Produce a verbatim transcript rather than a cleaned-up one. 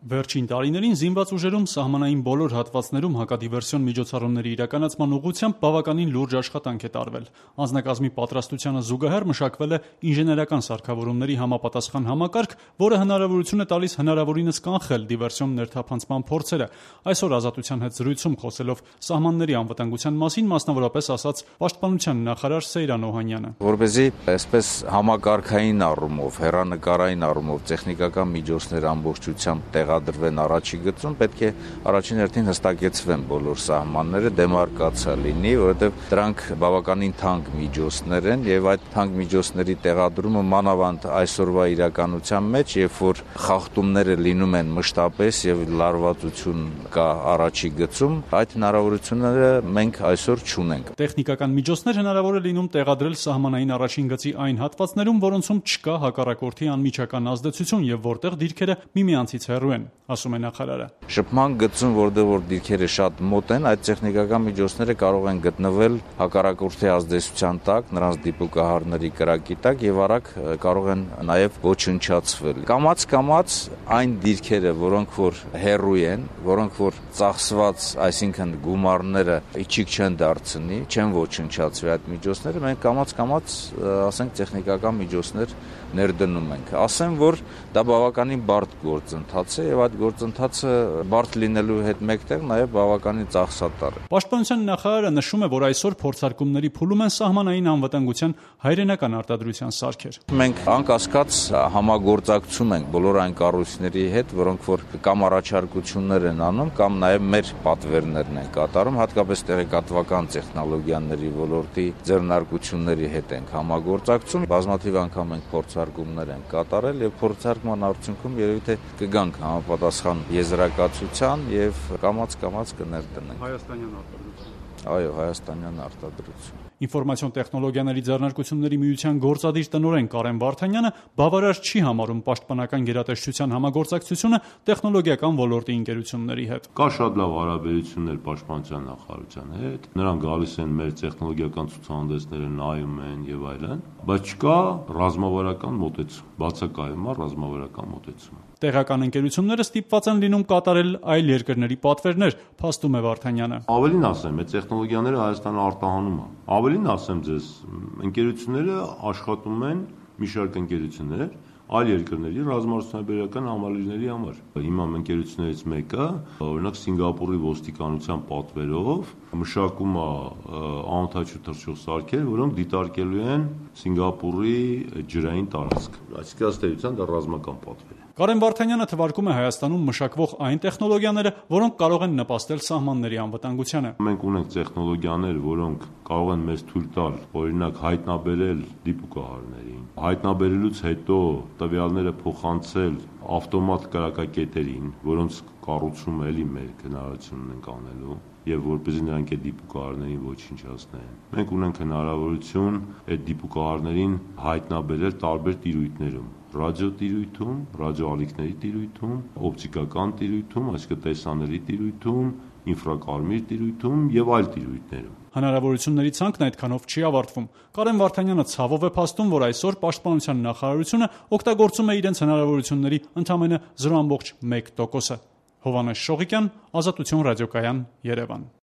Վերջին տարիներին զինված ուժերում սահմանային բոլոր հատվածներում հակադիվերսիոն միջոցառումների իրականացման ուղղությամբ բավականին լուրջ աշխատանք է տարվել։ Անձնակազմի պատրաստությանը զուգահեռ մշակվել է ինժեներական սարքավորումների համապատասխան համակարգ, որը հնարավորություն է տալիս հնարավորինս կանխել դիվերսիոն ներթափանցման փորձերը։ Այսօր Ազատության հետ զրույցում խոսելով սահմանների անվտանգության մասին, մասնավորապես ասաց Պաշտպանության նախարար Սեյրան Օհանյանը։ Որպեսզի այսպես համակարգային առումով, հեռանկարային առումով տեխնիկական միջոցներ ամբողջությամբ տեղադրվեն առաջի գծում, պետք է առաջին հերթին հստակեցվեն բոլոր սահմանները, դեմարկացիա լինի, որովհետև դրանք բավականին թանկ միջոցներ են եւ այդ թանկ միջոցների տեղադրումը մանավանդ այսօրվա իրականության մեջ, երբ որ խախտումները լինում են մշտապես եւ լարվածություն կա առաջի գծում, այդ հնարավորությունները մենք այսօր չունենք։ Տեխնիկական միջոցներ հնարավոր է լինում տեղադրել սահմանային առաջին գծի այն հատվածներում, որոնցում չկա հակառակորդի անմիջական ազդեցություն եւ որտեղ դիրքերը միմյանցից հեռու են, ասում է նախարարը։ Շփման գծում, որտեղ որ դիրքերը շատ մոտ են, այդ տեխնիկական միջոցները կարող են գտնվել հակառակորդի ազդեցության տակ, նրանց դիպուկահարների կրակի տակ եւ արագ կարող են նաեւ ոչնչացվել։ Կամաց-կամաց այն դիրքերը, որոնք որ հեռու են, որոնք որ ծախսված, այսինքն գումարները իջիկ չեն դարձնի, չեն ոչնչացվի այդ միջոցները, մենք կամաց-կամաց, ասենք, տեխնիկական միջոցներ ներդնում ենք։ Ասեմ, որ դա բավականին բարդ գործընթաց է եւ այդ գործընթացը բարդ լինելու հետ մեկտեղ նաեւ բավականին ծախսատար է։ Պաշտպանության նախարարը նշում է, որ այսօր փորձարկումների փուլում են սահմանային անվտանգության հայրենական արտադրության սարքեր։ Մենք անկասկած համագործակցում ենք բոլոր այն կառույցների հետ, որոնք որ կամ առաջարկություններ են անում, կամ նաեւ մեր պատվերներն են կատարում, հատկապես տեղեկատվական տեխնոլոգիաների ոլորտի ձեռնարկությունների հետ ենք համագործակցում։ Բազմաթիվ անգամ ենք փորձարկումներ են կատարել եւ փորձարկման արդյունքում երևի թե կգանք համապատասխան եզրակացության եւ կամաց-կամաց կներդնենք։ Հայաստանյան արտադրություն։ Այո, հայաստանյան արտադրություն։ Ինֆորմացիոն տեխնոլոգիաների ձեռնարկությունների միության գործադիր տնօրեն Կարեն Վարդանյանը բավարար չի համարում պաշտպանական գերատեսչության համագործակցությունը տեխնոլոգիական ոլորտի ընկերությունների հետ։ Կա շատ լավ հարաբերություններ պաշտպանության նախարարության հետ, նրանք գալիս են մեր տեխնոլոգիական ցուցահանդեսները նայում են եւ այլն, բայց չկա ռազմավարական մոտեցում, բացակայում է ռազմավարական մոտեցումը։ Տեղական ընկերությունները ստիպված են լինում կատարել այլ երկրների պատվերներ, փաստում է Վարդանյանը։ Ավելին ասեմ, այդ տեխնոլոգիաները Հայաստանը արտահանում է։ Ավելին ասեմ ձեզ, ընկերությունները աշխատում են մի շարք ընկերություններ այլ երկրների ռազմարտությունաբերական համալիրների համար։ Հիմա ընկերություններից մեկը, օրինակ Սինգապուրի ոստիկանության պատվերով մշակում է անօդաչու թռչող սարքեր, որոնք դիտարկելու են Սինգապուրի ջրային տարածք։ Այսինքն ըստ էության դա ռազմական պատվեր է։ Կարեն Վարդանյանը թվարկում է Հայաստանում մշակվող այն տեխնոլոգիաները, որոնք կարող են նպաստել սահմանների անվտանգությանը։ Մենք ունենք տեխնոլոգիաներ, որոնք կարող են մեզ թույլ տալ, օրինակ, հայտնաբերել դիպուկահարներին, հայտնաբերելուց հետո տվյալները փոխանցել ավտոմատ կրակակետերին, որոնց կառուցումը էլի մեր հնարավորություն ունենք անելու, եւ որպեսզի նրանք այդ դիպուկահարներին ոչնչացնեն։ Մենք ունենք հնարավորություն այդ դիպուկահարներին հայտնաբերել տարբեր տիրույթներում՝ ռադիոտիրույթում, ռադիոալիքների տիրույթում, օպտիկական տիրույթում, այսինքն տեսանելի տիրույթում, ինֆրակարմիր տիրույթում եւ այլ տիրույթներում։ Հնարավորությունների ցանկն այդքանով չի ավարտվում։ Կարեն Վարդանյանը ցավով է փաստում, որ այսօր Պաշտպանության նախարարությունը օգտագործում է իրենց հնարավորությունների ընդամենը զրո տասնյոթ տոկոսը։ Հովհաննես Շողիկյան, Ազատություն ռադիոկայան, Երևան։